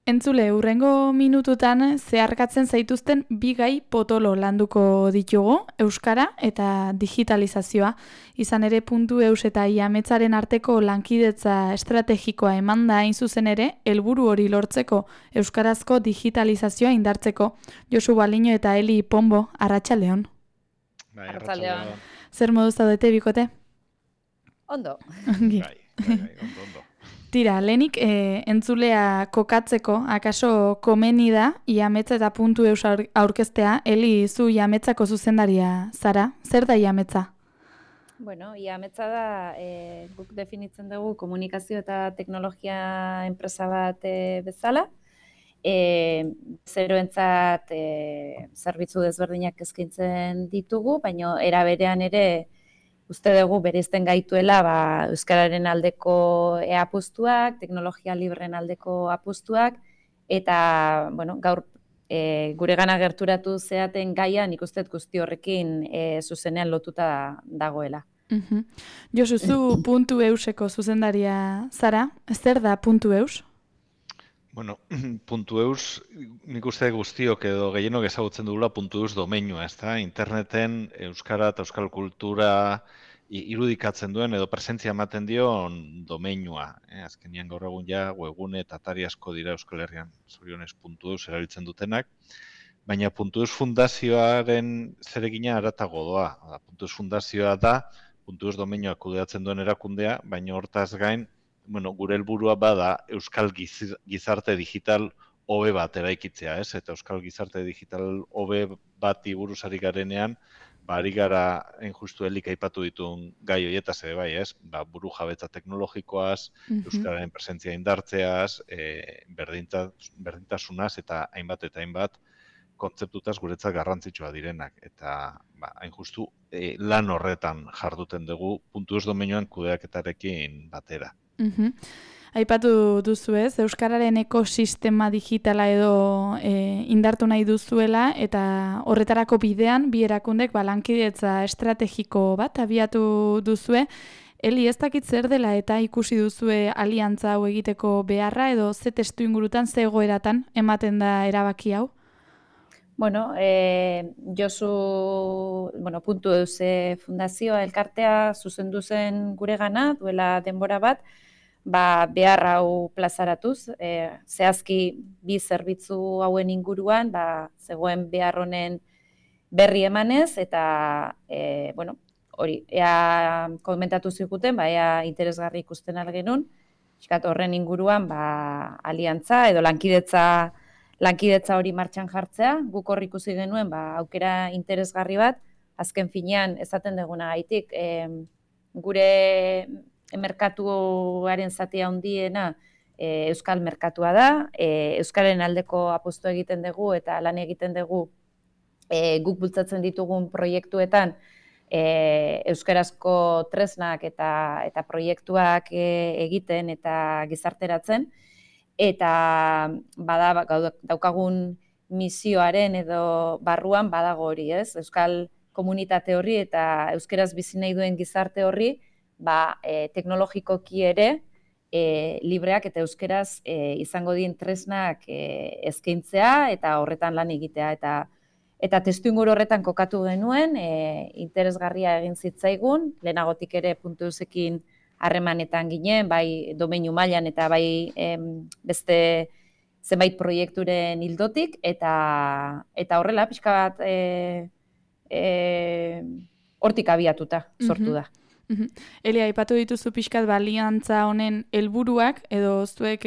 Entzule, hurrengo minututan zeharkatzen zaituzten bi gai potolo landuko ditugu, euskara eta digitalizazioa. Izan ere .eus eta IAMETZaren arteko lankidetza estrategikoa emanda hain zuzen ere, helburu hori lortzeko euskarazko digitalizazioa indartzeko. Josu Baliño eta Eli Pombo, arratsaldeon. Bai, Arratsaldeon. Zer moduz zaudete bikote? Ondo. Ongi. ondo. Tira, lehenik entzulea kokatzeko, akaso komeni da, IAMETZA eta .eus aurkeztea, Eli, zu IAMETZako zuzendaria zara, zer da IAMETZA? Bueno, IAMETZA da, guk definitzen dugu komunikazio eta teknologia enpresa bat bezala, zeroentzat zerbitzu desberdinak eskaintzen ditugu, baina era berean ere uste dugu bereizten gaituela euskararen aldeko apustuak, teknologia libren aldeko apustuak, eta gaur guregana gerturatu zeaten gaia nik uste guzti horrekin zuzenean lotuta dagoela. Josu, zu .euseko zuzendaria zara, zer da .eus? Bueno, .eus nik uste guztiok edo gehienok ezagutzen dugula .eus domeinua, ezta? Interneten euskara eta euskal kultura irudikatzen duen edo presentzia ematen dion domeinua. Azkenean gaur egun ja webgune eta atari asko dira Euskal Herrian, zorionez .eus erabiltzen dutenak, baina .eus fundazioaren zeregina haratago doa. .eus fundazioa da .eus domeinua kudeatzen duen erakundea, baina hortaz gain gure helburua bada euskal gizarte digital hobe bat eraikitzea, ez? Eta euskal gizarte digital hobe bati buruz ari garenean, ari gara justu Elik aipatu dituen gai horietaz ere bai, ez? Buru jabetza teknologikoaz, euskararen presentzia indartzeaz, berdintasunaz eta hainbat kontzeptutaz guretzat garrantzitsua direnak. Eta hain justu lan horretan jarduten dugu .eus domeinuan kudeaketarekin batera. Aipatu duzu ez, euskararen ekosistema digitala edo indartu nahi duzuela eta horretarako bidean bi erakundek lankidetza estrategiko bat abiatu duzue. Eli, ez dakit zer dela eta ikusi duzue aliantza hau egiteko beharra edo ze testu ingurutan, ze egoeratan ematen da erabaki hau? Bueno, Josu, .eus fundazioa elkartea zuzendu zen guregana duela denbora bat, behar hau plazaratuz, zehazki bi zerbitzu hauen inguruan, zegoen behar honen berri emanez, eta, hori, ea komentatu ziguten, ea interesgarri ikusten algenun, horren inguruan, aliantza edo lankidetza hori martxan jartzea, guk hor ikusi genuen, aukera interesgarri bat, azken finean esaten duguna gaitik, gure merkatuaren zatia handiena euskal merkatua da, euskaren aldeko apustu egiten dugu eta lan egiten dugu guk bultzatzen ditugun proiektuetan euskarazko tresnak eta proiektuak egiten eta gizarteratzen, eta daukagun misioaren edo barruan badago hori, ez? Euskal komunitate horri eta euskaraz bizi nahi duen gizarte horri teknologikoki ere libreak eta euskaraz izango dien tresnak eskaintzea eta horretan lan egitea. Eta testuinguru horretan kokatu genuen, interesgarria egin zitzaigun, lehenagotik ere .eusekin harremanetan ginen, bai domeinu mailan eta bai beste zenbait proiekturen ildotik, eta horrela pixka bat hortik abiatuta sortu da. Eli, aipatu dituzu pixkat aliantza honen helburuak edo zuek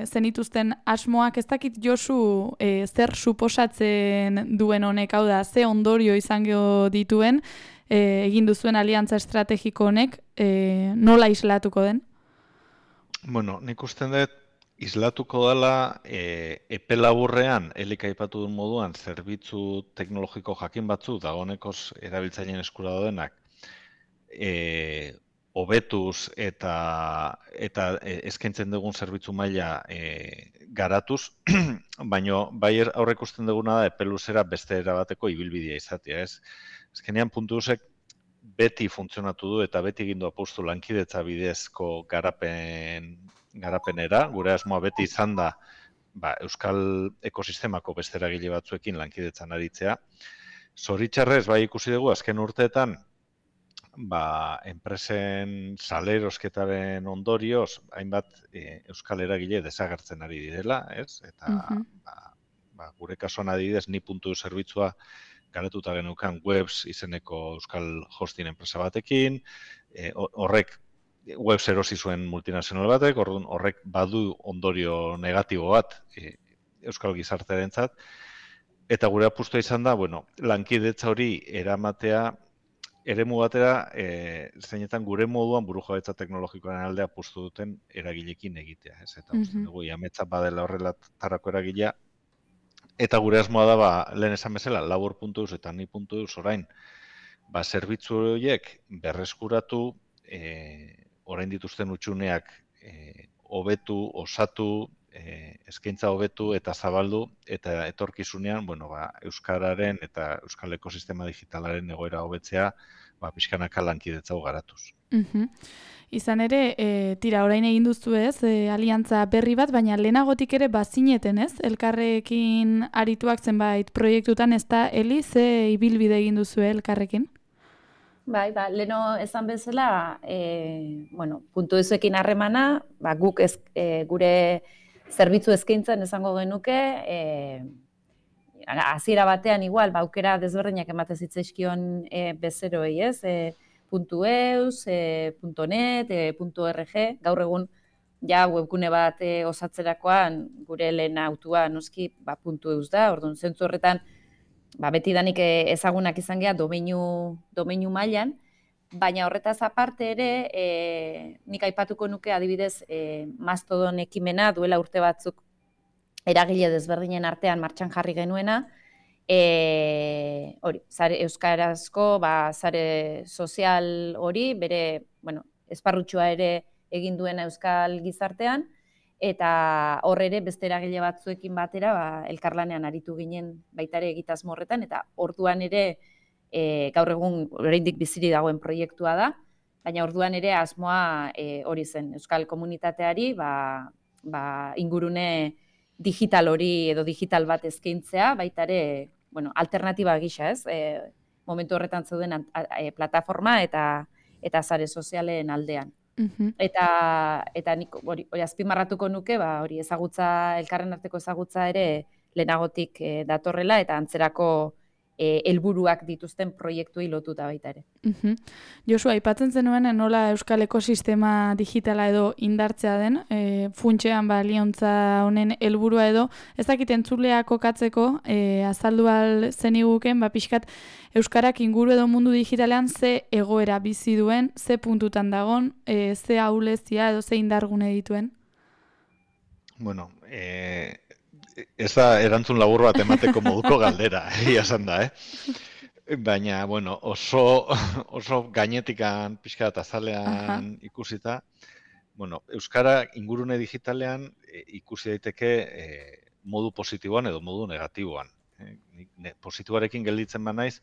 zenituzten asmoak, ez dakit Josu zer suposatzen duen honek, hau da, ze ondorio izango dituen egin duzuen aliantza estrategiko honek, nola islatuko den? Bueno, nik usten dut islatuko dela epe laburrean, Elik aipatu duen moduan, zerbitzu teknologiko jakin batzu dagoenekoz erabiltzaileen eskura daudenak, hobetuz eta eskaintzen dugun zerbitzu maila garatuz, baina bai aurre ikusten duguna da epe luzera beste erabateko ibilbidea izatea, ez? Azkenean .eusek beti funtzionatu du eta beti egin du apustu lankidetza bidezko garapenera, gure asmoa beti izan da euskal ekosistemako beste eragile batzuekin lankidetzan aritzea. Zoritxarrez, bai ikusi dugu, azken urteetan, enpresen salerosketaren ondorioz, hainbat euskal eragile desagertzen ari direla, ez? Eta gure kasuan adibidez, ni.eu zerbitzua garatuta genukan Webs izeneko euskal hosting enpresa batekin, horrek Webs erosi zuen multinazional batek, horrek badu ondorio negatibo bat euskal gizartearentzat, eta gure apustua izan da, lankidetza hori eramatea eremu batera, zeinetan gure moduan burujabetza teknologikoaren alde apustu duten eragilekin egitea, ez? Eta uste dugu, ametsa badela horrelatarako eragilea, eta gure asmoa da, lehen esan bezala, labor.eus eta ni.eus orain, zerbitzu horiek berreskuratu, orain dituzten hutsuneak hobetu, osatu, eskaintza hobetu eta zabaldu, eta etorkizunean, euskararen eta euskal ekosistema digitalaren egoera hobetzea, pixkanaka lankidetza garatuz. Izan ere, orain egin duzu ez, aliantza berri bat, baina lehenagotik ere bazineten ez, elkarrekin arituak zenbait proiektutan, ez da, Eli, ze ibilbide egin duzu elkarrekin? Bai, leheno esan bezala, .eusekin harremana, guk gure zerbitzu eskaintzen esango genuke, hasiera batean igual, aukera desberdinak ematen zitzaizkion bezeroei, ez? .eus, .net, .org, gaur egun webgune bat osatzerakoan gure lehen autua noski .eus da, orduan zentzu horretan beti danik ezagunak izan geha domeinu mailan, baina horretaz aparte ere, nik aipatuko nuke adibidez Mastodon ekimena duela urte batzuk eragile desberdinen artean martxan jarri genuena, euskarazko sare sozial hori, bere esparrutxoa ere egin duena euskal gizartean, eta hor ere beste eragile batzuekin batera elkarlanean aritu ginen baita ere egitasmo horretan, eta orduan ere gaur egun oraindik bizirik dagoen proiektua da, baina orduan ere asmoa hori zen, euskal komunitateari ingurune digital hori edo digital bat eskaintzea, baita ere alternatiba gisa, ez? Momentu horretan zeuden plataforma eta sare sozialen aldean. Eta nik hori azpimarratuko nuke, hori ezagutza, elkarren arteko ezagutza ere lehenagotik datorrela eta antzerako helburuak dituzten proiektuei lotuta baita ere. Josu, aipatzen zenuen nola euskal ekosistema digitala edo indartzea den, funtsean aliantza honen helburua edo, ez dakit entzuleak kokatzeko, azaldu al zeniguken, pixkat euskarak inguru edo mundu digitalean ze egoera bizi duen, ze puntutan dagon, ze ahulezia edo ze indargune dituen? Ez da erantzun labur bat emateko moduko galdera, esan da, Baina, oso gainetikan pixka eta azalean ikusita, euskara ingurune digitalean ikusi daiteke modu positiboan edo modu negatiboan. Positiboarekin gelditzen banaiz,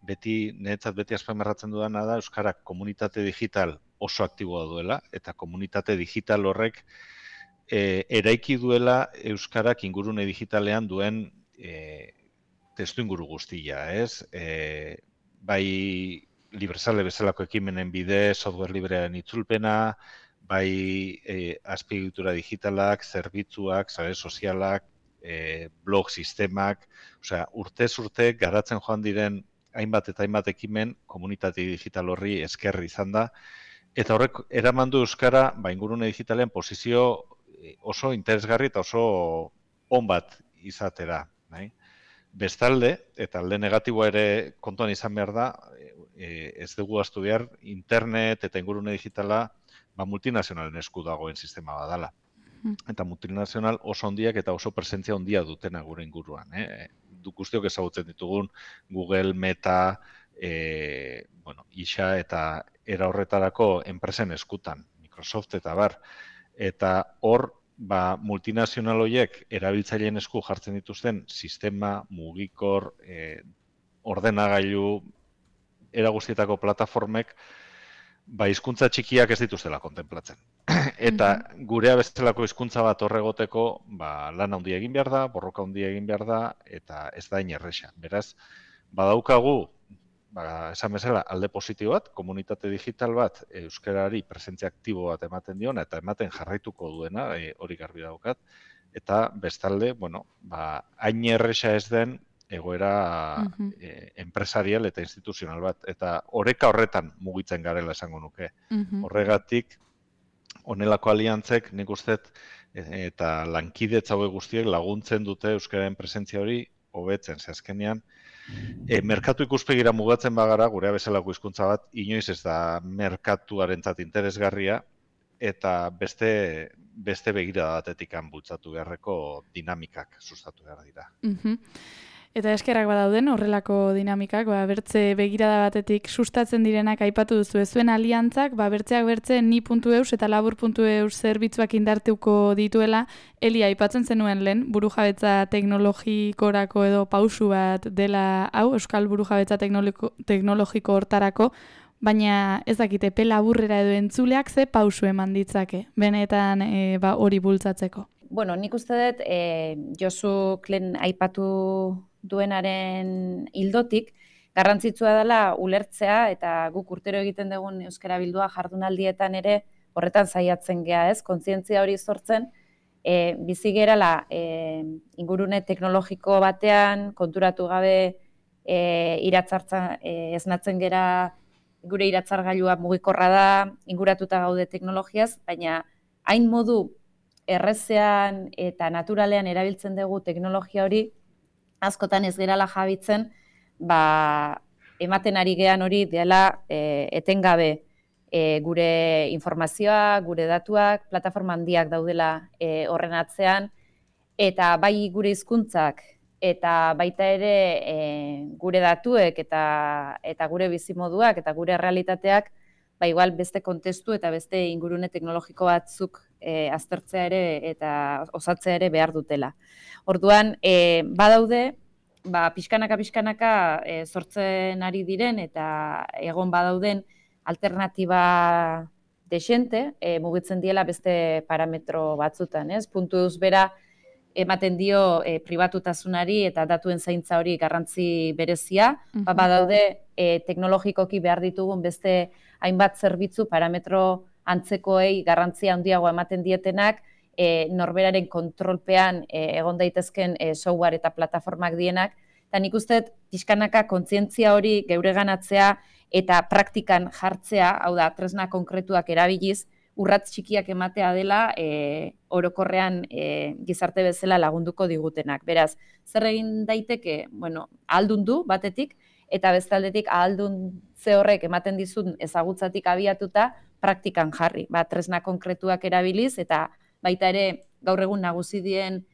niretzat beti azpimarratzen dudana da euskarak komunitate digital oso aktiboa duela, eta komunitate digital horrek eraiki duela euskarak ingurune digitalean duen testu inguru guztia, ez? Bai Librezale bezalako ekimenen bidez, software librearen itzulpena, bai azpiegitura digitalak, zerbitzuak, sare sozialak, blog sistemak, urtez urte garatzen joan diren hainbat eta hainbat ekimen komunitate digital horri esker izan da, eta horrek eraman du euskara ingurune digitalean posizio oso interesgarri eta oso on bat izatera. Bestalde, eta alde negatiboa ere kontuan izan behar da, ez dugu ahaztu behar, internet eta ingurune digitala multinazionalen esku dagoen sistema badala. Eta multinazional oso handiak eta oso presentzia handia dutena gure inguruan. Guztiok ezagutzen ditugun Google, Meta, ISA eta era horretarako enpresen eskutan, Microsoft eta bar. Eta hor, multinazional horiek erabiltzaileen esku jartzen dituzten sistema, mugikor, ordenagailu, era guztietako plataformek, hizkuntza txikiak ez dituztela kontenplatzen. Eta gurea bezalako hizkuntza bat horregoteko, lan handia egin behar da, borroka handia egin behar da, eta ez da inerresa. Beraz, badaukagu, esan bezala, alde positibo bat, komunitate digital bat, euskarari presentzia aktibo bat ematen diona, eta ematen jarraituko duena, hori garbi daukat, eta bestalde, hain erresa ez den, egoera enpresarial eta instituzional bat. Eta oreka horretan mugitzen garela esango nuke. Horregatik, honelako aliantzek, nik uste, eta lankidetza hauek guztiek laguntzen dute euskararen presentzia hori hobetzen. Ze azkenean, merkatu ikuspegira mugatzen bagara, gurea bezalako hizkuntza bat, inoiz ez da merkatuarentzat interesgarria, eta beste begirada batetik bultzatu beharreko dinamikak sustatu behar dira. Eta eskerrak badauden horrelako dinamikak, bertze begirada batetik sustatzen direnak aipatu duzu zuen aliantzak, bertzeak bertze ni.eus eta labur.eus zerbitzuak indartuko dituela, Eli aipatzen zenuen lehen, burujabetza teknologikorako edo pausu bat dela hau, euskal burujabetza teknologiko hortarako, baina ez dakit epe laburrera edo entzuleak ze pausu eman ditzake, benetan hori bultzatzeko. Bueno, nik uste dut, Josu lehen aipatu duenaren ildotik, garrantzitsua dela ulertzea eta guk urtero egiten dugun euskara bildua jardunaldietan ere horretan saiatzen gea, ez? Kontzientzia hori sortzen, bizi gerala ingurune teknologiko batean, konturatu gabe esnatzen gera gure iratzargailua mugikorra da, inguratuta gaude teknologiaz, baina hain modu errezean eta naturalean erabiltzen dugu teknologia hori, askotan ez gerala jabitzen, ematen ari gean hori dela etengabe gure informazioa, gure datuak, plataforma handiak daudela horren atzean, eta bai gure hizkuntzak eta baita ere gure datuek eta gure bizimoduak eta gure realitateak, igual beste kontestu eta beste ingurune teknologiko batzuk aztertzea ere eta osatzea ere behar dutela. Orduan, badaude, pixkanaka sortzen ari diren eta egon badauden alternatiba desente, mugitzen diela beste parametro batzutan, ez? Puntueus bera ematen dio pribatutasunari eta datuen zaintza hori garrantzi berezia, badaude teknologikoki behar ditugun beste hainbat zerbitzu parametro antzekoei garrantzia handiago ematen dietenak, norberaren kontrolpean egon daitezken software eta plataformak dienak, eta nik uste pixkanaka kontzientzia hori geureganatzea eta praktikan jartzea, hau da, tresna konkretuak erabiliz, urratz txikiak ematea dela orokorrean gizarte bezala lagunduko digutenak. Beraz, zer egin daiteke, ahaldundu batetik, eta bestaldetik ahalduntze horrek ematen dizun ezagutzatik abiatuta praktikan jarri. Tresna konkretuak erabiliz eta baita ere gaur egun nagusi dien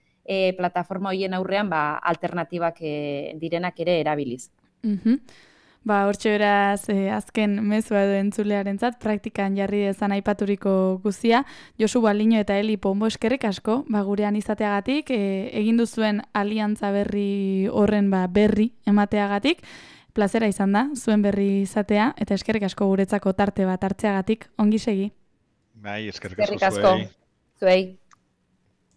plataforma horien aurrean alternatibak direnak ere erabiliz. Hortxe beraz, azken mezua edo entzulearentzat praktikan jarri dezan aipaturiko guzia. Josu Baliño eta Eli Pombo eskerrik asko, gurean izateagatik, egin duzuen aliantza berri horren berri emateagatik. Plazera izan da, zuen berri izatea, eta eskerrik asko guretzako tarte bat hartzeagatik, ongi segi. Eskerrik asko zuei.